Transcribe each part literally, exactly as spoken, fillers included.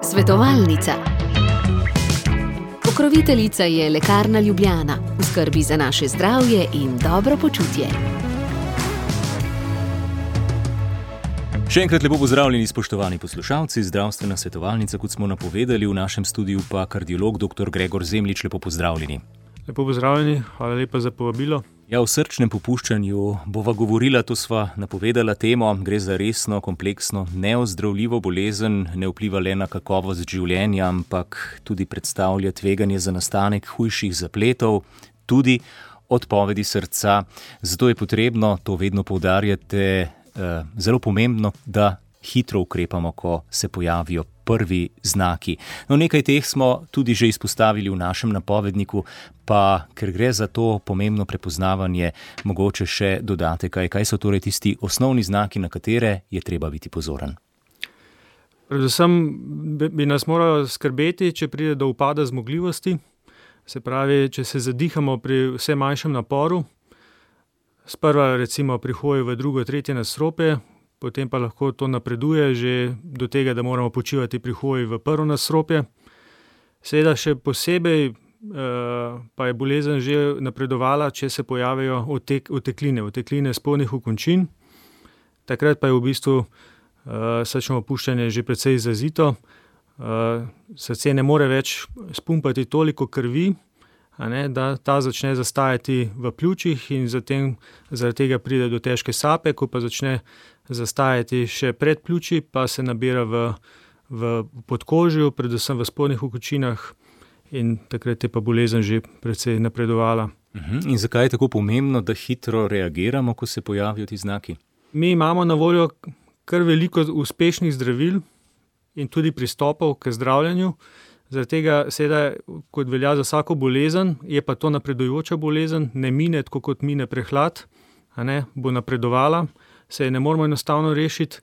Svetovalnica. Pokroviteljica je Lekarna Ljubljana, v skrbi za naše zdravje in dobro počutje. Še enkrat lepo pozdravljeni, spoštovani poslušalci. Zdravstvena svetovalnica, kot smo napovedali, v našem studiu pa kardiolog doktor Gregor Zemljič. Lepo pozdravljeni. Lepo pozdravljeni, hvala lepa za povabilo. Ja, o srčnem popuščanju bova govorila, to sva napovedala temo. Gre za resno, kompleksno, neozdravljivo bolezen, ne vpliva le na kakovost življenja, ampak tudi predstavlja tveganje za nastanek hujših zapletov, tudi odpovedi srca. Zato je potrebno, to vedno poudarjate, zelo pomembno, da hitro ukrepamo, ko se pojavijo prvi znaki. No, nekaj teh smo tudi že izpostavili v našem napovedniku, pa ker gre za to pomembno prepoznavanje, mogoče še dodate kaj. Kaj so torej tisti osnovni znaki, na katere je treba biti pozoren? Predvsem bi nas moralo skrbeti, če pride do upada zmogljivosti, se pravi, če se zadihamo pri vse manjšem naporu, sprva recimo pri hoji v drugo, tretje nadstropje, potem pa lahko to napreduje že do tega, da moramo počivati pri hoji v prvo nadstropje. Seveda še posebej eh, pa je bolezen že napredovala, če se pojavijo otek, otekline, otekline spodnjih okončin. Takrat pa je v bistvu eh, srčno popuščanje že precej izrazito. Eh, srce ne more več spumpati toliko krvi, a ne, da ta začne zastajati v pljučih in zatem, zaradi tega pride do težke sape, ko pa začne zastajati še pred pljuči, pa se nabira v, v podkožju, predvsem v spodnjih okončinah, in takrat je pa bolezen že precej napredovala. Uh-huh. In zakaj je tako pomembno, da hitro reagiramo, ko se pojavijo ti znaki? Mi imamo na voljo kar veliko uspešnih zdravil in tudi pristopov k zdravljenju. Zaradi tega, seveda, kot velja za vsako bolezen, je pa to napredujoča bolezen, ne mine, tako kot mine prehlad, a ne, bo napredovala, se je ne moramo enostavno rešiti,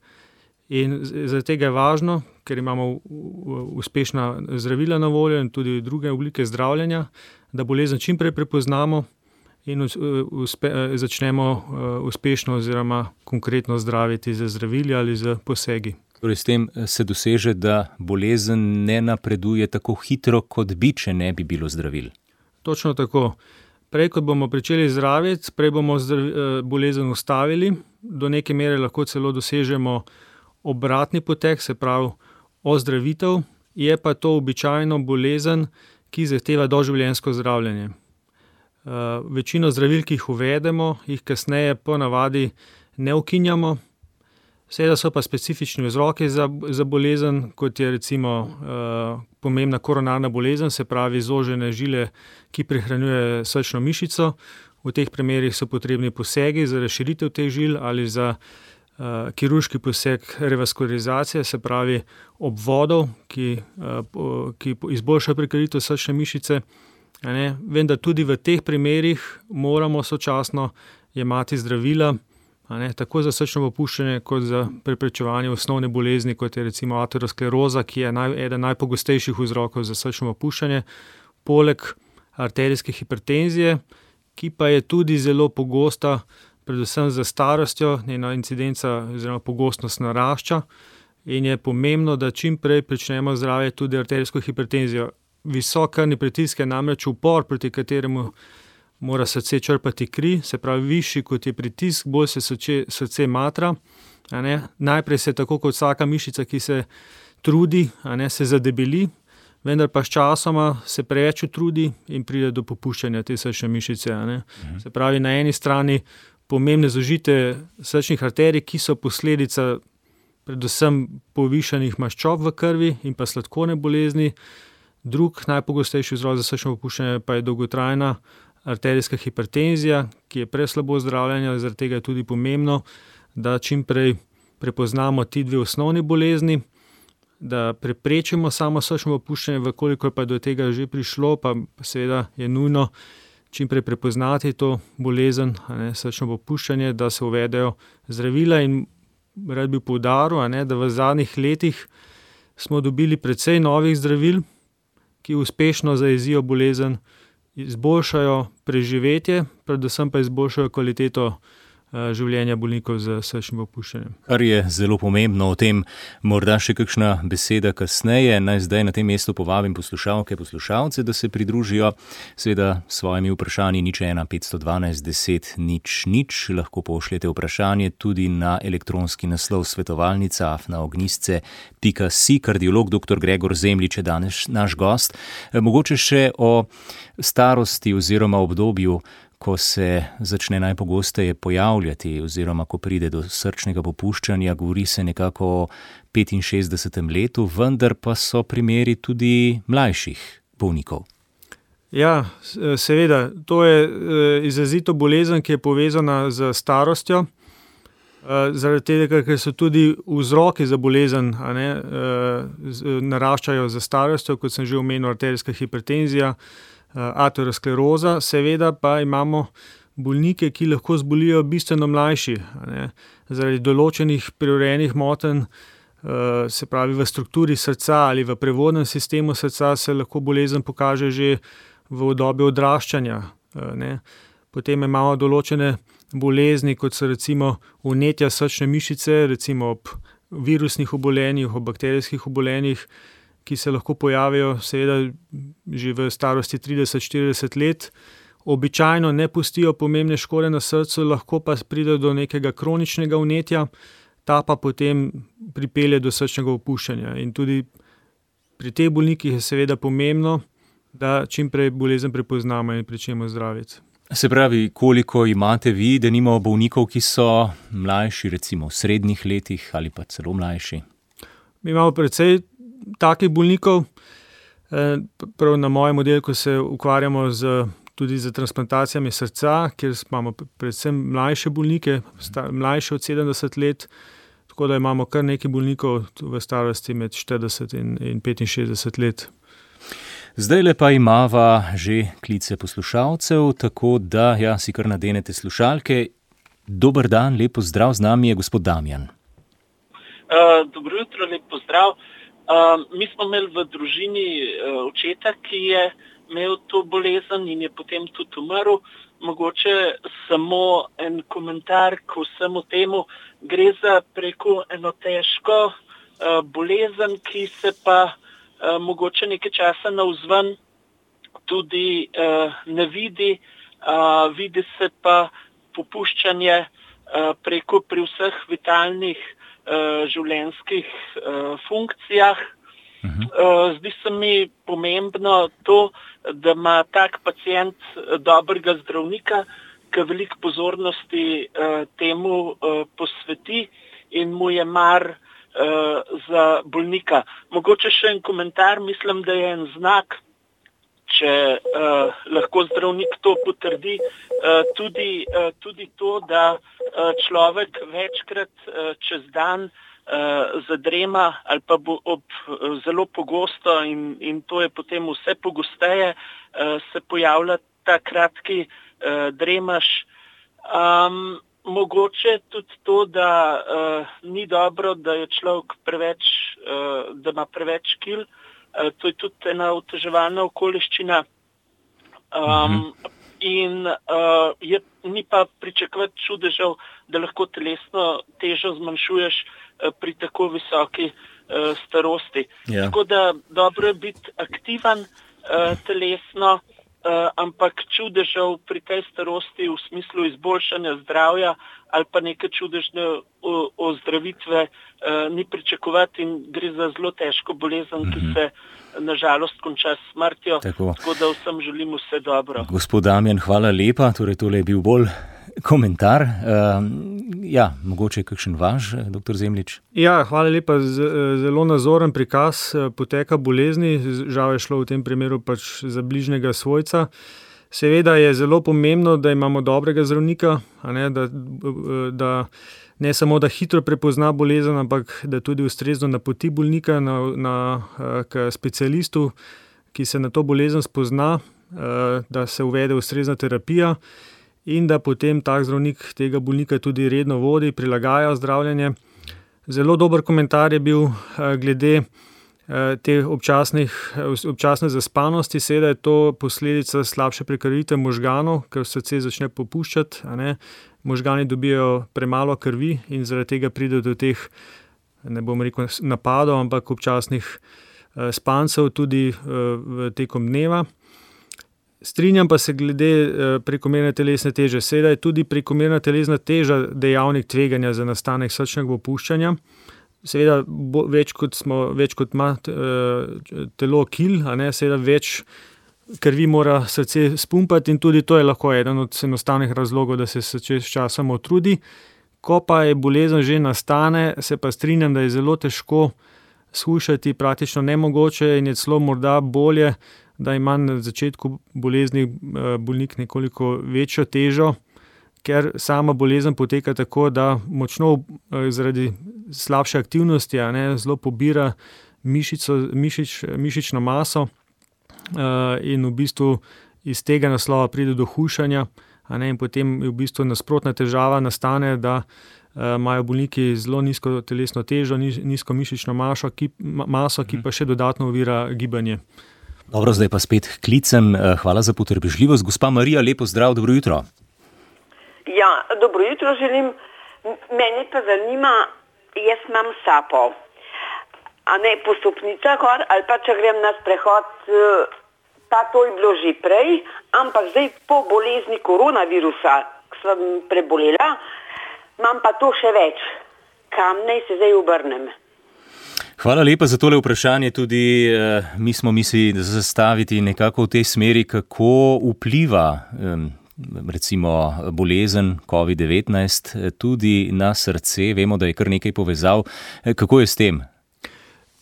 in zaradi tega je važno, ker imamo uspešna zdravila na voljo in tudi druge oblike zdravljenja, da bolezen čim prej prepoznamo in uspe, začnemo uspešno oziroma konkretno zdraviti z zdravili ali z posegi. Torej, s tem se doseže, da bolezen ne napreduje tako hitro, kot bi, če ne bi bilo zdravil. Točno tako. Prej, kot bomo pričeli zdraviti, prej bomo zdravi, bolezen ustavili, do neke mere lahko celo dosežemo obratni potek, se pravi ozdravitev, je pa to običajno bolezen, ki zahteva doživljenjsko zdravljenje. Uh, večino zdravil, ki jih uvedemo, jih kasneje po navadi ne ukinjamo. Seveda so pa specifični vzroki za, za bolezen, kot je recimo uh, pomembna koronarna bolezen, se pravi zožene žile, ki prehranjuje srčno mišico. V teh primerih so potrebni posegi za razširitev teh žil ali za uh, kirurški poseg revaskularizacije, se pravi obvodov, ki, uh, ki izboljšajo prekritost srčne mišice. Ne? Vem, da tudi v teh primerih moramo sočasno jemati zdravila, ne, tako za srčno popuščanje, kot za preprečevanje osnovne bolezni, kot je recimo ateroskleroza, ki je naj, eden najpogostejših vzrokov za srčno popuščanje, poleg arterijske hipertenzije, ki pa je tudi zelo pogosta, predvsem za starostjo, njena incidenca oziroma pogostnost narašča in je pomembno, da čim prej pričnemo zdraviti tudi arterijsko hipertenzijo. Visok krvni pritisk je namreč upor, proti kateremu mora srce črpati kri, se pravi višji kot je pritisk, bolj se srce, srce matra. A ne. Najprej se tako kot vsaka mišica, ki se trudi, a ne, se zadebeli, vendar pa s časoma se preveč utrudi in pride do popuščanja te srčne mišice. A ne. Mhm. Se pravi, na eni strani pomembne zožite srčnih arterij, ki so posledica predvsem povišanih maščob v krvi in pa sladkorne bolezni. Drug najpogostejši vzrok za srčno popuščanje pa je dolgotrajna arterijska hipertenzija, ki je preslabo zdravljena, zaradi tega je tudi pomembno, da čim prej prepoznamo ti dve osnovni bolezni, da preprečimo samo srčno popuščanje, vkolikor pa do tega že prišlo, pa seveda je nujno čim prej prepoznati to bolezen, a ne, srčno popuščanje, da se uvedejo zdravila. In rad bi poudaril, a ne, da v zadnjih letih smo dobili precej novih zdravil, ki uspešno zajezijo bolezen, izboljšajo preživetje, predvsem pa izboljšajo kvaliteto življenja bolnikov z srčnim popuščanjem. Kar je zelo pomembno, o tem morda še kakšna beseda kasneje. Naj zdaj na tem mestu povabim poslušalke, poslušalce, da se pridružijo seveda s svojimi vprašanji nič ena petsto dvanajst deset nič nič. Lahko pošljete vprašanje tudi na elektronski naslov svetovalnica afna ognjisce pika si. Kardiolog doktor Gregor Zemljič je danes naš gost. Mogoče še o starosti oziroma obdobju, ko se začne najpogosteje pojavljati oziroma ko pride do srčnega popuščanja, govori se nekako o petinšestdesetem letu, vendar pa so primeri tudi mlajših bolnikov. Ja, seveda, to je izrazito bolezen, ki je povezana z starostjo, zaradi tega, ker so tudi vzroki za bolezen, a ne, naraščajo za starostjo, kot sem že omenil, arterijska hipertenzija, ateroskleroza, seveda pa imamo bolnike, ki lahko zbolijo bistveno mlajši, a ne, zaradi določenih prirojenih motenj, se pravi v strukturi srca ali v prevodnem sistemu srca se lahko bolezen pokaže že v obdobju odraščanja, ne. Potem imamo določene bolezni, kot so recimo vnetja srčne mišice, recimo ob virusnih obolenjih, ob bakterijskih obolenjih, ki se lahko pojavijo seveda že v starosti trideset štirideset let. Običajno ne pustijo pomembne škode na srcu, lahko pa pride do nekega kroničnega vnetja, ta pa potem pripelje do srčnega opuščanja. In tudi pri teh bolnikih je seveda pomembno, da čim prej bolezen prepoznamo in pričnemo zdraviti. Se pravi, koliko imate vi, denimo bolnikov, ki so mlajši, recimo v srednjih letih ali pa celo mlajši? Mi imamo precej takih bolnikov, prav na mojem oddelku se ukvarjamo z, tudi z transplantacijami srca, kjer imamo predvsem mlajše bolnike, mlajše od sedemdeset let, tako da imamo kar nekaj bolnikov v starosti med štirideset in, in petinšestdeset let. Zdajle pa imava že klice poslušalcev, tako da ja, si kar nadenete slušalke. Dober dan, lep pozdrav, z nami je gospod Damjan. Uh, dobro jutro, lep pozdrav. Uh, mi smo imeli v družini uh, očeta, ki je imel to bolezen in je potem tudi umrl. Mogoče samo en komentar k vsemu temu. Gre za preko eno težko uh, bolezen, ki se pa uh, mogoče nekaj časa navzven tudi uh, ne vidi. Uh, vidi se pa popuščanje uh, preko pri vseh vitalnih življenjskih uh, funkcijah. Uh-huh. Uh, zdi se mi pomembno to, da ima tak pacient dobrega zdravnika, ki veliko pozornosti uh, temu uh, posveti in mu je mar uh, za bolnika. Mogoče še en komentar, mislim, da je en znak, če uh, lahko zdravnik to potrdi, uh, tudi, uh, tudi to, da uh, človek večkrat uh, čez dan uh, zadrema ali pa bo ob, uh, zelo pogosto in, in to je potem vse pogosteje, uh, se pojavlja ta kratki uh, dremaš. Um, mogoče tudi to, da uh, ni dobro, da je človek preveč, uh, da ima preveč kil. To je tudi ena oteževalna okoliščina um, in uh, je, ni pa pričakovati čudežev, da lahko telesno težo zmanjšuješ uh, pri tako visoki uh, starosti. Ja. Tako da dobro je biti aktiven uh, telesno, uh, ampak čudežev pri tej starosti v smislu izboljšanja zdravja ali pa neke čudežne ozdravitve uh, ni pričakovati in gre za zelo težko bolezen, mm-hmm. ki se nažalost konča s smrtjo. Tako. Tako da vsem želim vse dobro. Gospod Damjan, hvala lepa. Torej, tole je bil bolj komentar. Uh, ja, mogoče kakšen vaš, doktor Zemljič? Ja, hvala lepa. Z, zelo nazoren prikaz poteka bolezni. Žal je šlo v tem primeru pač za bližnjega svojca. Seveda je zelo pomembno, da imamo dobrega zdravnika, a ne, da, da ne samo, da hitro prepozna bolezen, ampak da tudi ustrezno napoti bolnika na, na, k specialistu, ki se na to bolezen spozna, da se uvede ustrezna terapija in da potem tak zdravnik tega bolnika tudi redno vodi, prilagaja zdravljenje. Zelo dober komentar je bil glede te občasnih, občasne zaspanosti, seveda je to posledica slabše prekrvitve možganov, ker srce začne popuščati, a ne. Možgani dobijo premalo krvi in zaradi tega pride do teh, ne bom rekel napadov, ampak občasnih spancev tudi v tekom dneva. Strinjam pa se glede prekomerne telesne teže. Seveda je tudi prekomerna telesna teža dejavnik tveganja za nastanek srčnega popuščanja. Seveda bo, več kot smo, več kot ima telo kil, a ne, seveda več krvi mora srce spumpati in tudi to je lahko eden od enostavnih razlogov, da se srce s časom utrudi. Ko pa je bolezen že nastane, se pa strinjam, da je zelo težko shujšati, praktično nemogoče in je celo morda bolje, da ima na začetku bolezni bolnik nekoliko večjo težo, ker sama bolezen poteka tako, da močno zaradi slabše aktivnosti, a ne, zelo pobira mišico, mišič, mišično maso in v bistvu iz tega naslova pride do hujšanja, a ne, in potem je v bistvu nasprotna težava nastane, da imajo bolniki zelo nizko telesno težo, nizko mišično maso, ki, maso, ki pa še dodatno ovira gibanje. Dobro, zdaj pa spet klicem. Hvala za potrpežljivost. Gospa Marija, lepo zdrav, dobro jutro. Ja, dobro jutro želim. Meni pa zanima, jaz imam sapo, a ne po stopnicah gor, ali pa če grem na sprehod, pa to je bilo že prej, ampak zdaj po bolezni koronavirusa, ko sem prebolela, imam pa to še več. Kam naj se zdaj obrnem? Hvala lepa za tole vprašanje. Tudi eh, mi smo mislili zastaviti nekako v tej smeri, kako vpliva eh, recimo bolezen covid devetnajst tudi na srce. Vemo, da je kar nekaj povezav. Eh, kako je s tem?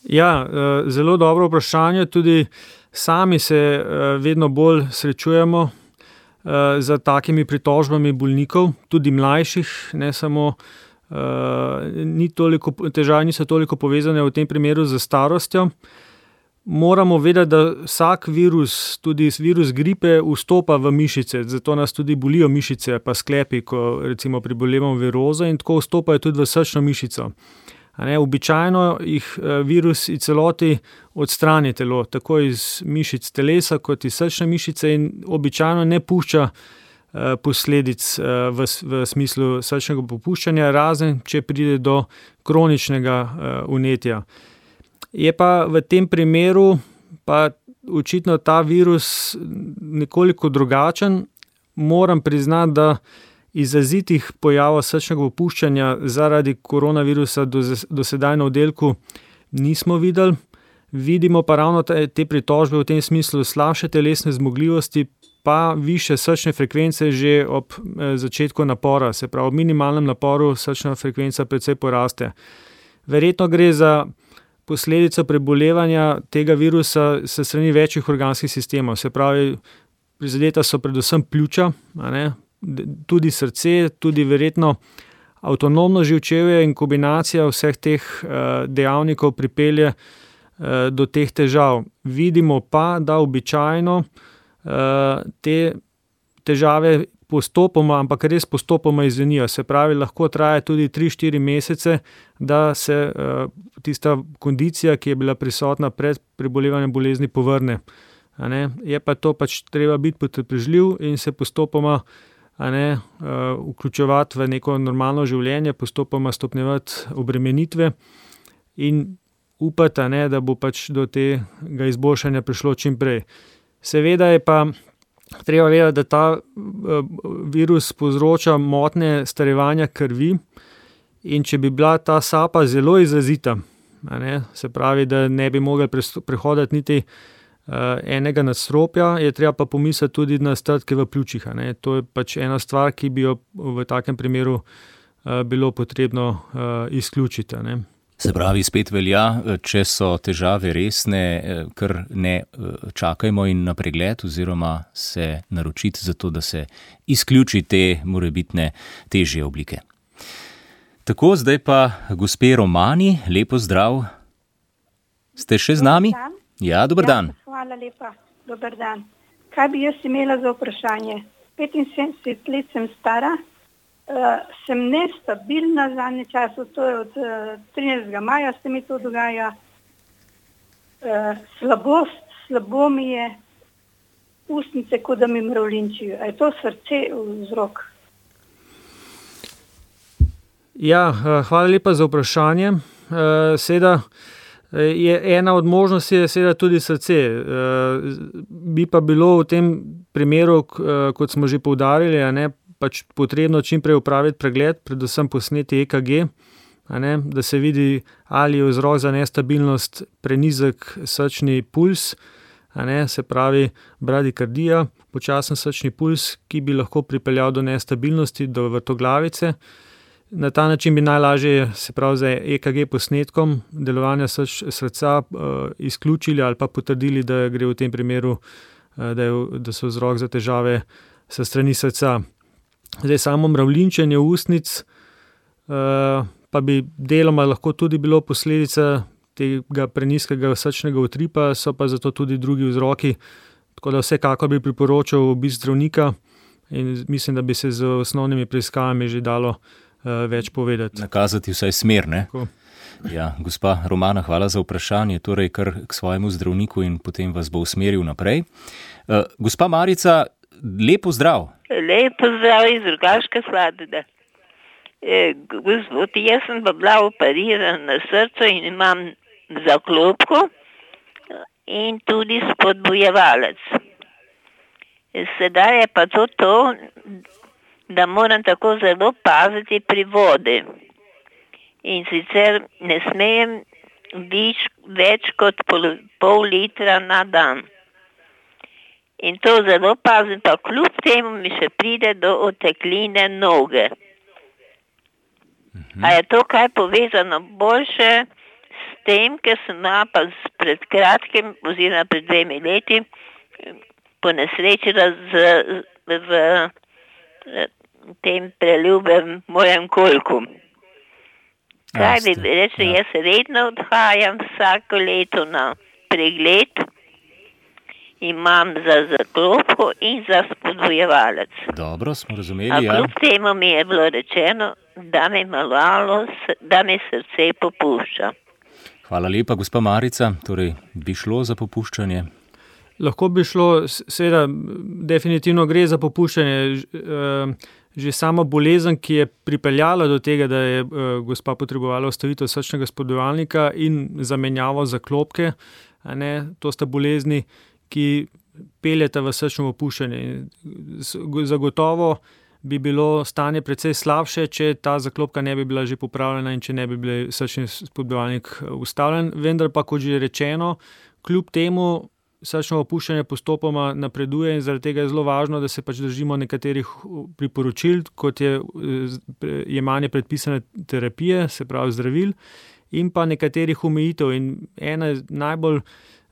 Ja, eh, zelo dobro vprašanje. Tudi sami se eh, vedno bolj srečujemo eh, za takimi pritožbami bolnikov, tudi mlajših, ne samo. Uh, ni toliko, težave niso toliko povezane v tem primeru z starostjo. Moramo vedeti, da vsak virus, tudi virus gripe, vstopa v mišice, zato nas tudi bolijo mišice, pa sklepi, ko recimo prebolevamo virozo, in tako vstopajo tudi v srčno mišico. A ne, običajno jih virus v celoti odstrani telo, tako iz mišic telesa kot iz srčne mišice, in običajno ne pušča posledic v, v smislu srčnega popuščanja, razen če pride do kroničnega vnetja. Je pa v tem primeru pa očitno ta virus nekoliko drugačen. Moram priznati, da izrazitih pojavov srčnega popuščanja zaradi koronavirusa do, do sedaj na oddelku nismo videli. Vidimo pa ravno te, te pritožbe v tem smislu slabše telesne zmogljivosti, pa više srčne frekvence že ob začetku napora, se pravi, ob minimalnem naporu srčna frekvenca precej poraste. Verjetno gre za posledico prebolevanja tega virusa s strani večjih organskih sistemov, se pravi, prizadeta so predvsem pljuča, a ne, tudi srce, tudi verjetno avtonomno živčevje, in kombinacija vseh teh dejavnikov pripelje do teh težav. Vidimo pa, da običajno te težave postopoma, ampak res postopoma izzvenijo. Se pravi, lahko traja tudi tri štiri mesece, da se tista kondicija, ki je bila prisotna pred prebolevanjem bolezni, povrne. A ne? Je pa to pač treba biti potrpežljiv in se postopoma, a ne, vključevati v neko normalno življenje, postopoma stopnjevati obremenitve in upati, a ne, da bo pač do tega izboljšanja prišlo čim prej. Seveda je pa treba vedeti, da ta virus povzroča motnje starevanja krvi, in če bi bila ta sapa zelo izrazita, a ne, se pravi, da ne bi mogli prehoditi niti enega nadstropja, je treba pa pomisliti tudi na strdke v pljučih. A ne. To je pač ena stvar, ki bi jo v takem primeru bilo potrebno izključiti. A ne. Se pravi, spet velja, če so težave resne, kar ne čakajmo in na pregled oziroma se naročiti za to, da se izključi te morebitne težje oblike. Tako, zdaj pa gospe Romani, lepo zdrav. Ste še z nami? Ja, dober dan. Ja, hvala lepa, dober dan. Kaj bi jaz imela za vprašanje? petinsedemdeset let sem stara. Uh, sem nestabilna zadnje času, to je od uh, trinajstega maja se mi to dogaja. uh, slabo, slabo mi je ustnice, kot da mi mravljinčijo. A je to srce vzrok? Ja, hvala lepa za vprašanje. Seveda je ena od možnosti je seveda tudi srce. Bi pa bilo v tem primeru, kot smo že poudarili, a ne, pač potrebno čim prej opraviti pregled, predvsem posneti E K G, a ne, da se vidi, ali je vzrok za nestabilnost prenizek srčni puls, a ne, se pravi bradikardija, počasen srčni puls, ki bi lahko pripeljal do nestabilnosti, do vrtoglavice. Na ta način bi najlažje, se pravi za E K G posnetkom delovanja srč, srca uh, izključili ali pa potrdili, da gre v tem primeru, uh, da, je, da so vzrok za težave sa strani srca. Zdaj, samo mravljinčenje ustnic uh, pa bi deloma lahko tudi bilo posledica tega prenizkega srčnega utripa, so pa zato tudi drugi vzroki, tako da vsekakor bi priporočal obisk zdravnika in mislim, da bi se z osnovnimi preiskavami že dalo več povedati. Nakazati vsaj smer, ne? Ja, gospa Romana, hvala za vprašanje, torej kar k svojemu zdravniku in potem vas bo usmeril naprej. Uh, gospa Marica, lepo zdrav. Lepo zdrav iz Rogaške Slatine. E, gospod, jaz sem pa bila operirana na srcu in imam zaklopko in tudi spodbujevalec. Sedaj je pa to to, da moram tako zelo paziti pri vodi. In sicer ne smejem viš, več kot pol, pol litra na dan. In to zelo pazim, pa kljub temu mi še pride do otekline noge. Mhm. A je to kaj povezano boljše s tem, ker sem pa pred kratkim, oziroma pred dvemi leti, ponesrečila z, v tem preljubem mojem kolku. Kaj bi reči, ja. Jaz redno odhajam vsako leto na pregled, imam za zaklopko in za spodbujevalec. Dobro, smo razumeli, ja. A ja. kljub temu mi je bilo rečeno, da mi malo, da mi srce popušča. Hvala lepa, gospa Marica, torej bi šlo za popuščanje? Lahko bi šlo, seveda, definitivno gre za popuščanje. Že sama bolezen, ki je pripeljala do tega, da je gospa potrebovala ustavitev srčnega spodbujevalnika in zamenjavo zaklopke, a ne, to sta bolezni, ki peljeta v srčno popuščanje. Zagotovo bi bilo stanje precej slabše, če ta zaklopka ne bi bila že popravljena in če ne bi bil srčni spodbujevalnik ustavljen. Vendar pa, kot že rečeno, kljub temu srčno popuščanje postopoma napreduje in zaradi tega je zelo važno, da se pač držimo nekaterih priporočil, kot je jemanje predpisane terapije, se pravi zdravil, in pa nekaterih omejitev. In ena najbolj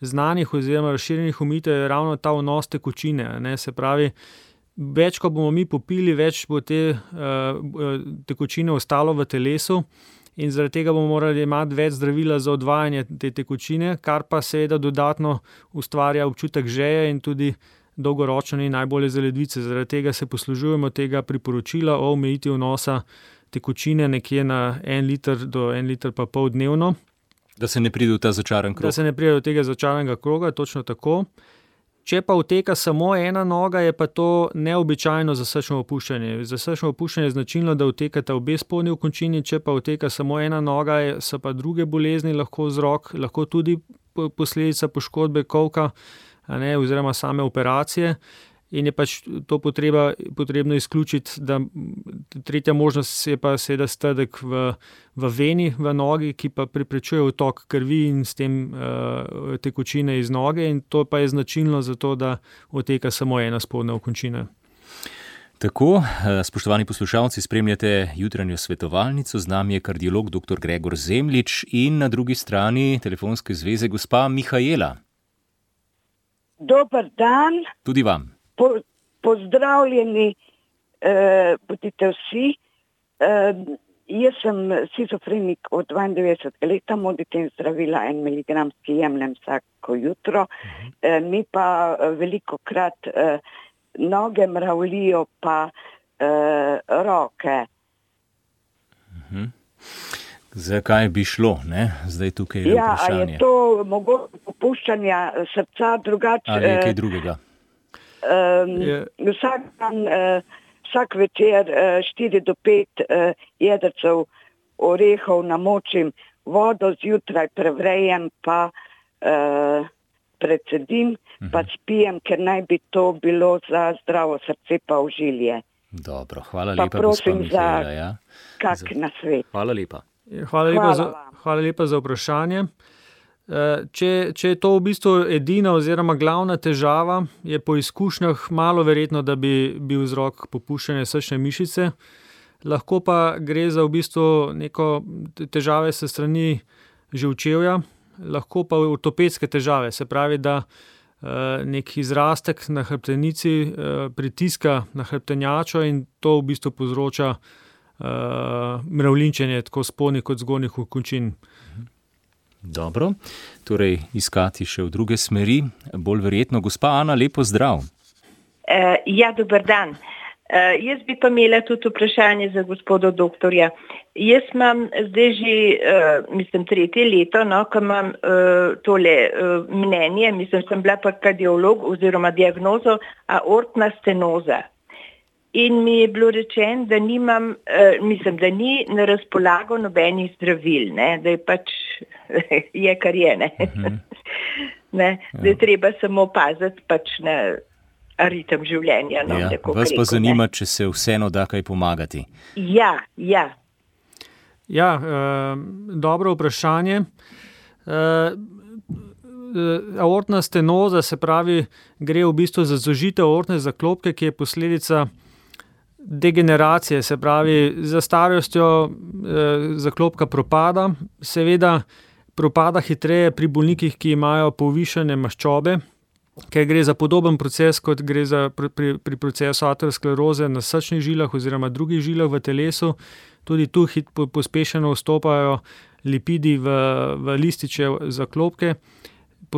znanih oziroma razširjenih omejitev je ravno ta vnos tekočine. Ne? Se pravi, več ko bomo mi popili, več bo te uh, tekočine ostalo v telesu, in zaradi tega bomo morali imeti več zdravila za odvajanje te tekočine, kar pa seveda dodatno ustvarja občutek žeje in tudi dolgoročno ni najbolje za ledvice. Zaradi tega se poslužujemo tega priporočila o omejitvi vnosa tekočine nekje na en liter do en liter pa pol dnevno. Da se ne pride v ta začaran krog. Da se ne pride v tega začaranega kroga, točno tako. Če pa uteka samo ena noga, je pa to neobičajno za srčno popuščanje. Za srčno popuščanje je značilno, da utekata obe spodnji okončini, če pa uteka samo ena noga, so pa druge bolezni lahko vzrok, lahko tudi posledica poškodbe kolka, a ne, oziroma same operacije. In je pač to potreba, potrebno izključiti, da tretja možnost je pa seveda strdek v, v veni, v nogi, ki pa preprečuje utok krvi in s tem uh, tekočine iz noge, in to pa je značilno za to, da oteka samo ena spodnja okončina. Tako, spoštovani poslušalci, spremljate jutranjo svetovalnico, z nami je kardiolog dr. Gregor Zemljič in na drugi strani telefonske zveze gospa Mihajla. Dober dan. Tudi vam. Po, pozdravljeni eh, bodite vsi. Eh, jaz sem shizofrenik od dvaindevetdesetega leta, moditem zdravila en miligramski jemljem vsako jutro. Eh, mi pa veliko krat eh, noge mravljijo pa eh, roke. Uh-huh. Zakaj bi šlo, ne? Zdaj tukaj je ja, vprašanje. Ja, je to mogoče popuščanja srca drugače? Ali je kaj drugega? Um, vsak dan, uh, vsak večer uh, štiri do pet uh, jedrcev orehov namočim vodo, zjutraj prevrejem, pa uh, predsedim, uh-huh. pa spijem, ker naj bi to bilo za zdravo srce pa ožilje. Dobro, hvala pa lepa, prosim gospa Mihaela. Ja. Kak za... nasvet. Hvala lepa. Hvala lepa, hvala, za, hvala lepa za vprašanje. Če, če je to v bistvu edina oziroma glavna težava, je po izkušnjah malo verjetno, da bi bil vzrok popuščanja srčne mišice. Lahko pa gre za v bistvu neko težave se strani živčevja, lahko pa ortopedske težave, se pravi, da nek izrastek na hrbtenici pritiska na hrbtenjačo in to v bistvu povzroča mravljinčenje tako spodnjih kot zgornjih končin. Dobro, torej iskati še v druge smeri. Bolj verjetno, gospa Ana, lepo zdrav. Uh, ja, dober dan. Uh, jaz bi pa imela tudi vprašanje za gospoda doktorja. Jaz imam zdaj že, uh, mislim, tretje leto, no, ko imam uh, tole uh, mnenje, mislim, sem bila pa kardiolog oziroma diagnozo aortna stenoza. In mi je bilo rečeno, da nimam, uh, mislim, da ni na razpolago nobenih zdravil, ne, da je pač je kar je, ne. Uh-huh. ne da je treba samo paziti pač na ritem življenja. No, ja, vas rekel, pa zanima, ne. Če se vseeno da kaj pomagati. Ja, ja. Ja, uh, dobro vprašanje. Uh, aortna stenoza, se pravi, gre v bistvu za zožitev aortne zaklopke, ki je posledica degeneracije, se pravi, za starostjo eh, zaklopka propada, seveda propada hitreje pri bolnikih, ki imajo povišene maščobe, ker gre za podoben proces, kot gre za pri, pri, pri procesu ateroskleroze na srčnih žilah oziroma drugih žilah v telesu. Tudi tu hit, po, pospešeno vstopajo lipidi v, v lističe zaklopke,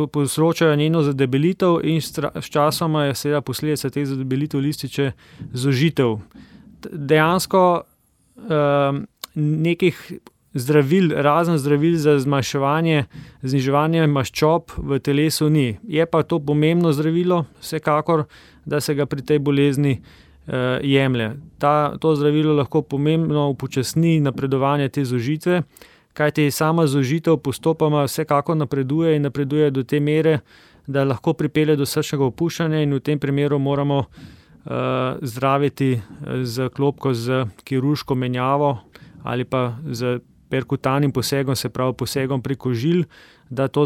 povzročajo njeno zadebelitev in s časoma je seveda posledica teh zadebelitev lističe zožitev. Dejansko um, nekih zdravil, razen zdravil za zmanjševanje, zniževanje maščob v telesu ni. Je pa to pomembno zdravilo, vsekakor, da se ga pri tej bolezni uh, jemlje. Ta, to zdravilo lahko pomembno upočasni napredovanje te zožitve, kajti sama zožitev postopoma vsekako napreduje in napreduje do te mere, da lahko pripelje do srčnega opuščanja in v tem primeru moramo uh, zdraviti zaklopko z kirurško menjavo ali pa z perkutanim posegom, se pravi posegom preko žil, da to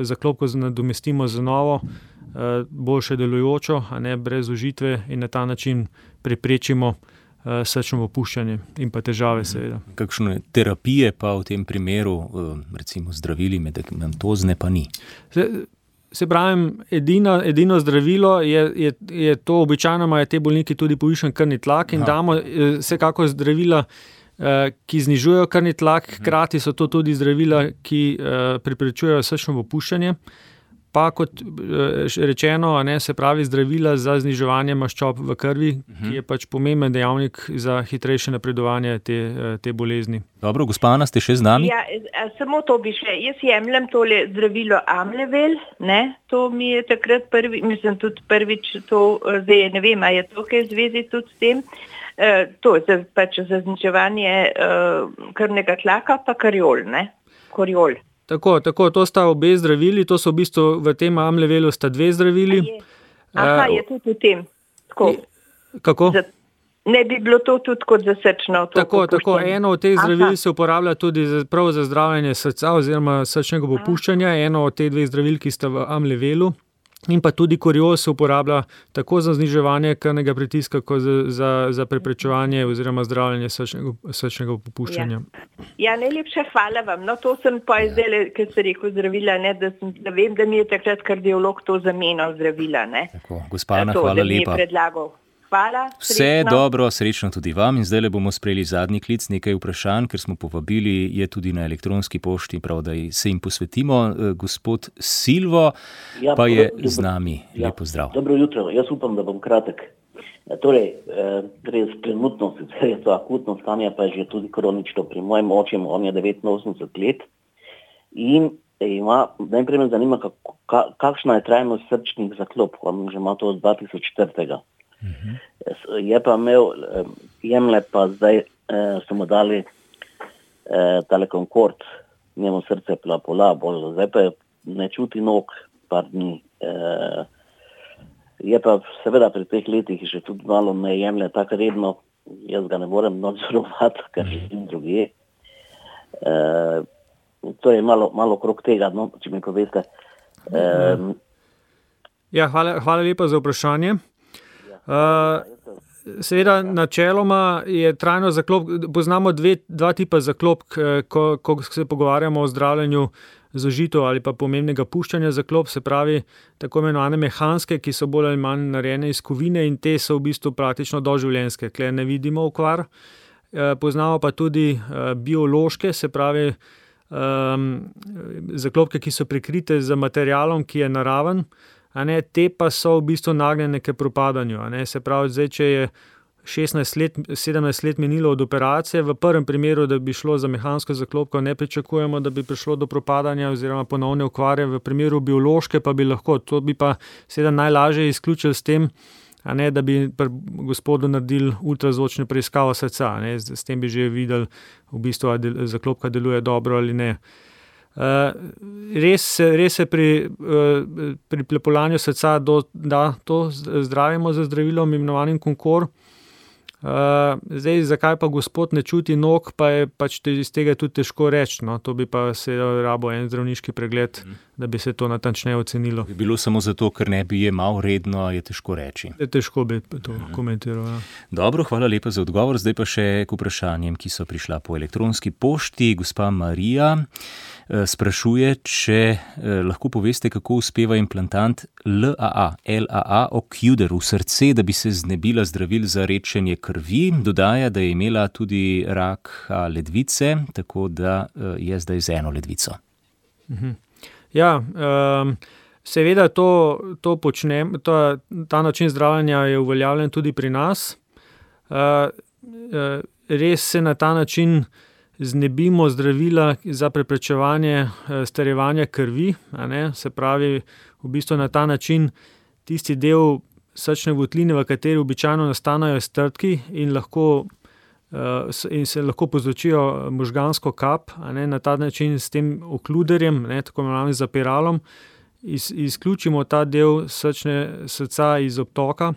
zaklopko nadomestimo z novo, uh, boljše delujočo, a ne brez zožitve in na ta način preprečimo srčno opuščanje in pa težave seveda. Kakšne terapije pa v tem primeru, recimo zdravili medicamentozne, pa ni? Se, se pravim, edino, edino zdravilo je, je, je to, običajno imajo te bolniki tudi povišen krvni tlak in Aha. damo vsekako zdravila, ki znižujejo krvni tlak, hkrati so to tudi zdravila, ki preprečujejo srčno opuščanje. Pa kot rečeno, ne, se pravi zdravila za zniževanje maščob v krvi, uh-huh. ki je pač pomemben dejavnik za hitrejše napredovanje te, te bolezni. Dobro, gospa Ana, ste še z nami? Ja, samo to bi še. Jaz jemljem tole zdravilo Amlevel, ne, to mi je takrat prvi, mislim tudi prvič to, zdaj ne vem, a je to kaj zvezi tudi s tem, e, to za, pač za zniževanje e, krvnega tlaka, pa kariol, ne, koriol. Tako, tako, to sta obe zdravili, to so v bistvu v tem Amlevelu sta dve zdravili. Aha, je tudi v tem. Tako. Kako? Za, ne bi bilo to tudi kot za srčno to Tako, popuščanje. tako, eno od teh zdravil Aha. se uporablja tudi za, prav za zdravljenje srca oziroma srčnega popuščanja, eno od teh dveh zdravil, ki sta v Amlevelu. In pa tudi koriol se uporablja tako za zniževanje krvnega pritiska, kot za, za, za preprečevanje oziroma zdravljenje srčnega, srčnega popuščanja. Ja. ja, najlepša hvala vam. No, to sem pa ja. zdaj, ker se rekel zdravila, ne, da, sem, da vem, da mi je takrat kardiolog to zamenjal zdravila. Ne. Tako, gospa Ana, hvala lepa. Hvala, Vse dobro, srečno tudi vam in zdaj le bomo sprejeli zadnji klic, nekaj vprašanj, ker smo povabili, je tudi na elektronski pošti, prav da se jim posvetimo. Gospod Silvo ja, pa je dobro, z nami. Ja, lepo zdrav. Dobro jutro, jaz upam, da bom kratek. Torej, gre z trenutno, sicer je to akutno stanje, pa je že tudi kronično pri mojem očem, on je devetinosemdeset let in ima, najprej me zanima, kako, ka, kakšna je trajnost srčnih zaklopk, on že ima to od dva tisoč četiri. Uh-huh. Je pa imel, jemlje pa zdaj, eh, so mu dali eh, tale Concord, njemu srce je bila pola bolj, zdaj pa ne čuti nog par dni. Eh, je pa seveda pri teh letih že tudi malo ne jemlje tako redno, jaz ga ne morem nadzorovati, ker živim drugje. Eh, To je malo, malo krog tega, no, če mi poveste. Um, ja, hvala, hvala lepa za vprašanje. Uh, seveda, načeloma je trajno zaklopk, poznamo dve, dva tipa zaklopk, ko, ko se pogovarjamo o zdravljenju zožitev ali pa pomembnega puščanja zaklop, se pravi tako imenovane mehanske, ki so bolj ali manj narejene iz kovine in te so v bistvu praktično doživljenjske, kle ne vidimo okvar. Uh, poznamo pa tudi uh, biološke, se pravi Um, zaklopke, ki so prekrite z materialom, ki je naraven, a ne, te pa so v bistvu nagnjene k propadanju. A ne, se pravi, zdaj, če je šestnajst let, sedemnajst let minilo od operacije, v prvem primeru, da bi šlo za mehansko zaklopko, ne pričakujemo, da bi prišlo do propadanja oziroma ponovne okvare, v primeru biološke pa bi lahko. To bi pa seveda najlažje izključili s tem, a ne, da bi pri gospodu naredili ultrazvočno preiskavo srca, ne, s, s tem bi že videli v bistvu, ali del, zaklopka deluje dobro ali ne. Uh, res, res se pri, uh, pri plepolanju srca do, da to zdravimo z zdravilom imenovanim Concord. Uh, zdaj, zakaj pa gospod ne čuti nog, pa je pač te, iz tega tudi težko reči. No? To bi pa se rabo en zdravniški pregled, mm. da bi se to natančneje ocenilo. Bi bilo samo zato, ker ne bi jemal redno, je težko reči. Je težko bi to mm. komentiral. Ja. Dobro, hvala lepa za odgovor. Zdaj pa še k vprašanjem, ki so prišla po elektronski pošti. Gospa Marija sprašuje, če lahko poveste, kako uspeva implantant L A A, L A A Ocuder v srce, da bi se znebila zdravil za redčenje krvi. Dodaja, da je imela tudi rak ledvice, tako da je zdaj z eno ledvico. Mhm. Ja, um, seveda to, to počnem, to, ta način zdravljenja je uveljavljen tudi pri nas. Uh, uh, res se na ta način znebimo zdravila za preprečevanje starevanja krvi, a ne, se pravi, v bistvu na ta način tisti del srčne votline, v kateri običajno nastanejo strdki in lahko in se lahko povzročijo možgansko kap, a ne, na ta način s tem okluderjem, ne, tako imenovanim zapiralom, iz, izključimo ta del srčne srca iz obtoka.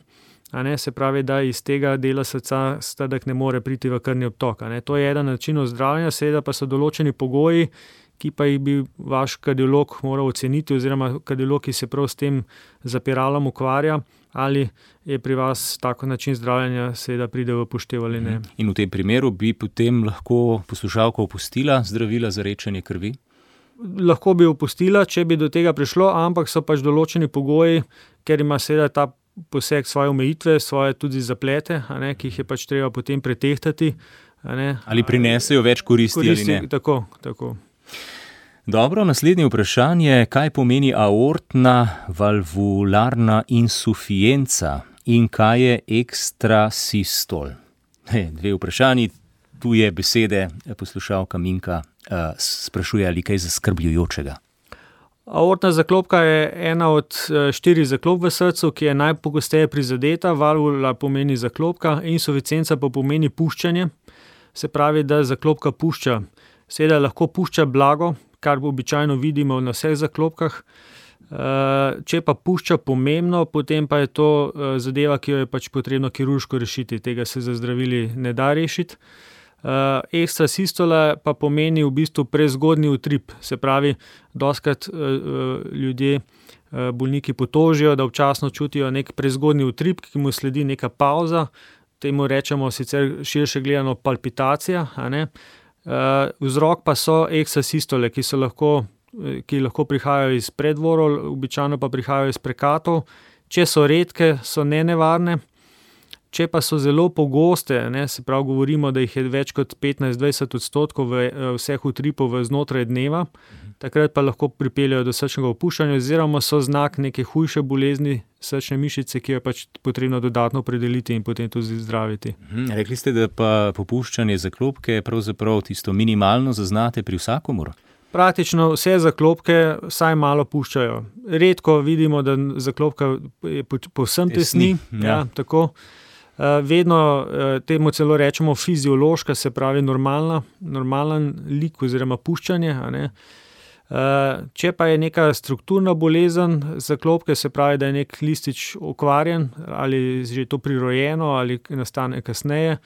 A ne, se pravi, da iz tega dela srca strdek ne more priti v krvni obtok. A ne. To je eden način zdravljenja, seveda pa so določeni pogoji, ki pa jih bi vaš kardiolog moral oceniti, oziroma kardiolog, ki se prav s tem zapiralom ukvarja, ali je pri vas tako način zdravljenja seveda pride v poštev ali ne. In v tem primeru bi potem lahko poslušalka opustila zdravila za redčenje krvi? Lahko bi opustila, če bi do tega prišlo, ampak so pač določeni pogoji, ker ima seveda ta poseg svoje omejitve, svoje tudi zaplete, a ne, ki jih je pač treba potem pretehtati. A ne. Ali prinesejo več koristi, koristi ali ne? Tako, tako. Dobro, naslednje vprašanje, kaj pomeni aortna valvularna insuficienca in kaj je ekstrasistol? He, dve vprašanji, tu je besede, poslušalka Minka uh, sprašuje, ali kaj zaskrbljujočega. Aortna zaklopka je ena od štirih zaklop v srcu, ki je najpogosteje prizadeta. Valvula pomeni zaklopka, insuficienca pa pomeni puščanje. Se pravi, da zaklopka pušča. Seveda lahko pušča blago, kar običajno vidimo na vseh zaklopkah. Če pa pušča pomembno, potem pa je to zadeva, ki jo je pač potrebno kirurško rešiti. Tega se za zdravili ne da rešiti. Uh, ekstrasistola pa pomeni v bistvu prezgodnji utrip, se pravi, dostikrat uh, ljudje, uh, bolniki potožijo, da občasno čutijo nek prezgodnji utrip, ki mu sledi neka pauza, temu rečemo sicer širše gledano palpitacija, a ne. Uh, vzrok pa so ekstrasistole, ki so lahko, ki lahko prihajajo iz predvorov, običajno pa prihajajo iz prekatov. Če so redke, so nenevarne. če pa so zelo pogoste, ne, se pravi govorimo, da jih je več kot petnajst do dvajset odstotkov v, vseh utripov v znotraj dneva, takrat pa lahko pripeljajo do srčnega opuščanja oziroma so znak neke hujše bolezni srčne mišice, ki jo je pač potrebno dodatno opredeliti in potem tudi zdraviti. Mhm, rekli ste, da pa popuščanje zaklopke pravzaprav tisto minimalno zaznate pri vsakomur? Praktično vse zaklopke vsaj malo puščajo. Redko vidimo, da zaklopka je povsem tesni, ja. Ja, tako. Vedno temu celo rečemo fiziološka, se pravi normalna, normalen lik oziroma puščanje, a ne. Če pa je neka strukturna bolezen zaklopke, se pravi, da je nek listič okvarjen ali že to prirojeno ali nastane kasneje,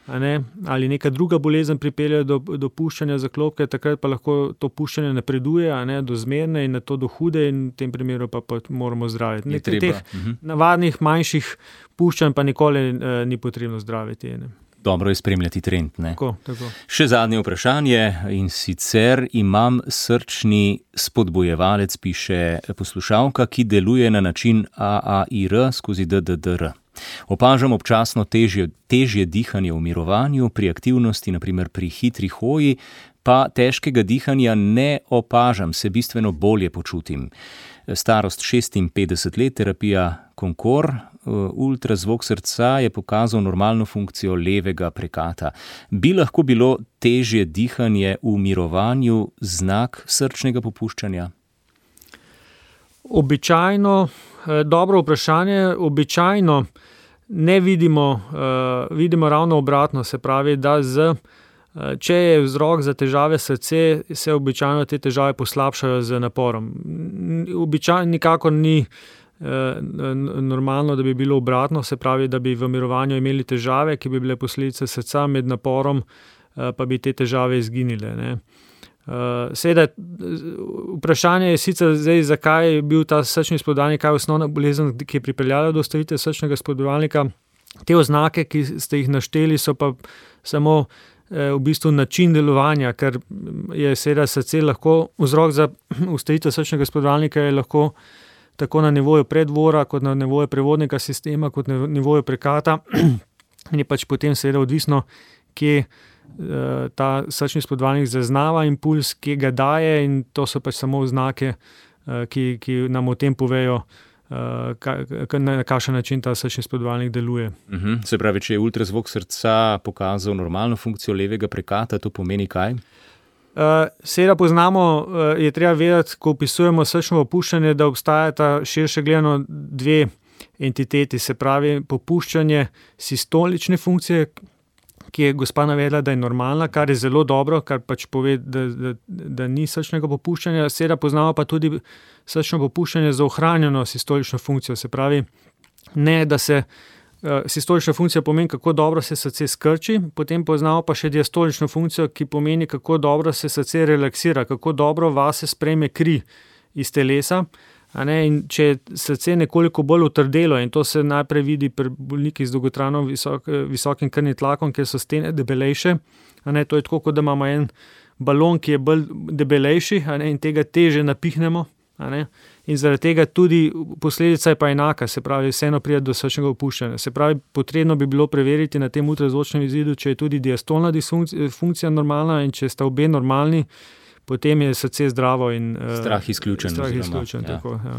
a ne, ali neka druga bolezen pripelje do, do puščanja zaklopke, takrat pa lahko to puščanje napreduje, a ne, do zmerne in na to do hude in v tem primeru pa, pa moramo zdraviti. Nekaj teh uh-huh. navadnih manjših puščanj pa nikoli eh, ni potrebno zdraviti. Ne. Dobro je spremljati trend, ne? Tako, tako. Še zadnje vprašanje in sicer imam srčni spodbojevalec, piše poslušalka, ki deluje na način A A I R skozi D D D R. Opažam občasno težje, težje dihanje v mirovanju, pri aktivnosti, naprimer pri hitri hoji, pa težkega dihanja ne opažam, se bistveno bolje počutim. Starost šestinpetdeset let, terapija Konkor, ultrazvok srca je pokazal normalno funkcijo levega prekata. Bi lahko bilo težje dihanje v mirovanju znak srčnega popuščanja? Običajno, dobro vprašanje, običajno ne vidimo, uh, vidimo ravno obratno, se pravi, da z, uh, če je vzrok za težave srce, se običajno te težave poslabšajo z naporom. Običajno nikakor ni uh, normalno, da bi bilo obratno, se pravi, da bi v mirovanju imeli težave, ki bi bile posledice srca, med naporom uh, pa bi te težave izginile, ne. Uh, seveda, vprašanje je sicer zdaj, zakaj je bil ta srčni spodbojevalnik, kaj je osnovna bolezen, ki je pripeljala do ustavitve srčnega spodbojevalnika. Te oznake, ki ste jih našteli, so pa samo eh, v bistvu način delovanja, ker je seveda srce lahko, vzrok za ustavitev srčnega spodbojevalnika je lahko tako na nivoju predvora, kot na nivoju prevodnega sistema, kot na nivoju prekata. In je pač potem seveda odvisno, kje ta srčni spodbojevalnik zaznava impuls, ki ga daje, in to so pač samo oznake, ki, ki nam o tem povejo, na kakšen način ta srčni spodbojevalnik deluje. Uh-huh. Se pravi, če je ultrazvok srca pokazal normalno funkcijo levega prekata, to pomeni kaj? Seveda poznamo, je treba vedeti, ko opisujemo srčno popuščanje, da obstajata širše gledano dve entiteti, se pravi popuščanje sistolične funkcije, ki je gospa navedla, da je normalna, kar je zelo dobro, kar pač pove, da, da, da ni srčnega popuščanja. Seveda poznamo pa tudi srčno popuščanje za ohranjeno sistolično funkcijo, se pravi, ne, da se uh, sistolična funkcija pomeni, kako dobro se srce skrči, potem poznamo pa še diastolično funkcijo, ki pomeni, kako dobro se srce relaksira, kako dobro vase sprejme kri iz telesa. A ne, in če je srce nekoliko bolj utrdelo, in to se najprej vidi pri bolnikih z dolgotrajno visok, visokim krvnim tlakom, ker so stene debelejše, a ne, to je tako, kot da imamo en balon, ki je bolj debelejši, a ne, in tega teže napihnemo, a ne, in zaradi tega tudi posledica je pa enaka, se pravi, vseeno pride do srčnega opuščanja. Se pravi, potrebno bi bilo preveriti na tem ultrazvočnem izidu, če je tudi diastolna disfunkcija normalna, in če sta obe normalni, potem je srce zdravo in uh, strah izključen. Strah izključen, ja. Tako, ja.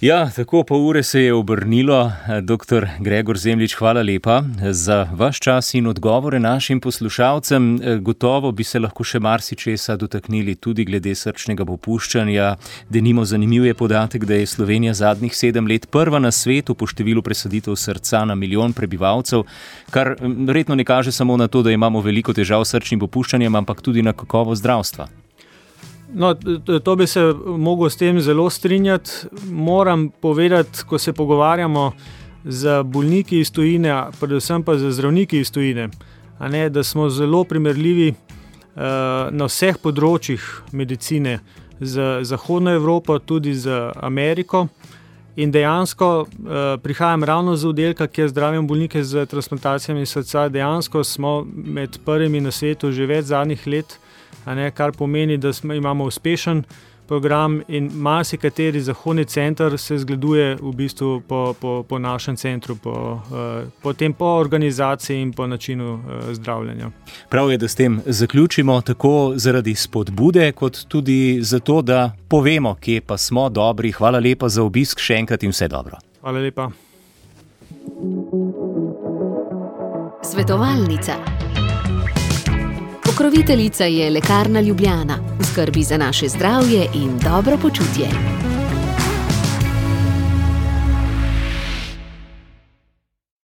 Ja, tako pol ure se je obrnilo. Doktor Gregor Zemljič, hvala lepa za vaš čas in odgovore našim poslušalcem. Gotovo bi se lahko še marsičesa dotaknili tudi glede srčnega popuščanja. Denimo zanimiv je podatek, da je Slovenija zadnjih sedem let prva na svetu po številu presaditev srca na milijon prebivalcev, kar verjetno ne kaže samo na to, da imamo veliko težav s srčnim popuščanjem, ampak tudi na kakovost zdravstva. No, to bi se mogel s tem zelo strinjati. Moram povedati, ko se pogovarjamo z bolniki iz tujine, predvsem pa z zdravniki iz tujine, a ne, da smo zelo primerljivi uh, na vseh področjih medicine z Zahodno Evropo, tudi z Ameriko. In dejansko uh, prihajam ravno z oddelka, kjer zdravim bolnike z transplantacijami srca. Dejansko smo med prvimi na svetu že več zadnjih let, a ne, kar pomeni, da smo, imamo uspešen program in marsikateri zahodni center se zgleduje v bistvu po, po, po našem centru, po, po tem po organizaciji in po načinu zdravljenja. Prav je, da s tem zaključimo tako zaradi spodbude, kot tudi zato, da povemo, kje pa smo dobri. Hvala lepa za obisk, še enkrat in vse dobro. Hvala lepa. Svetovalnica. Pokroviteljica je Lekarna Ljubljana, v skrbi za naše zdravje in dobro počutje.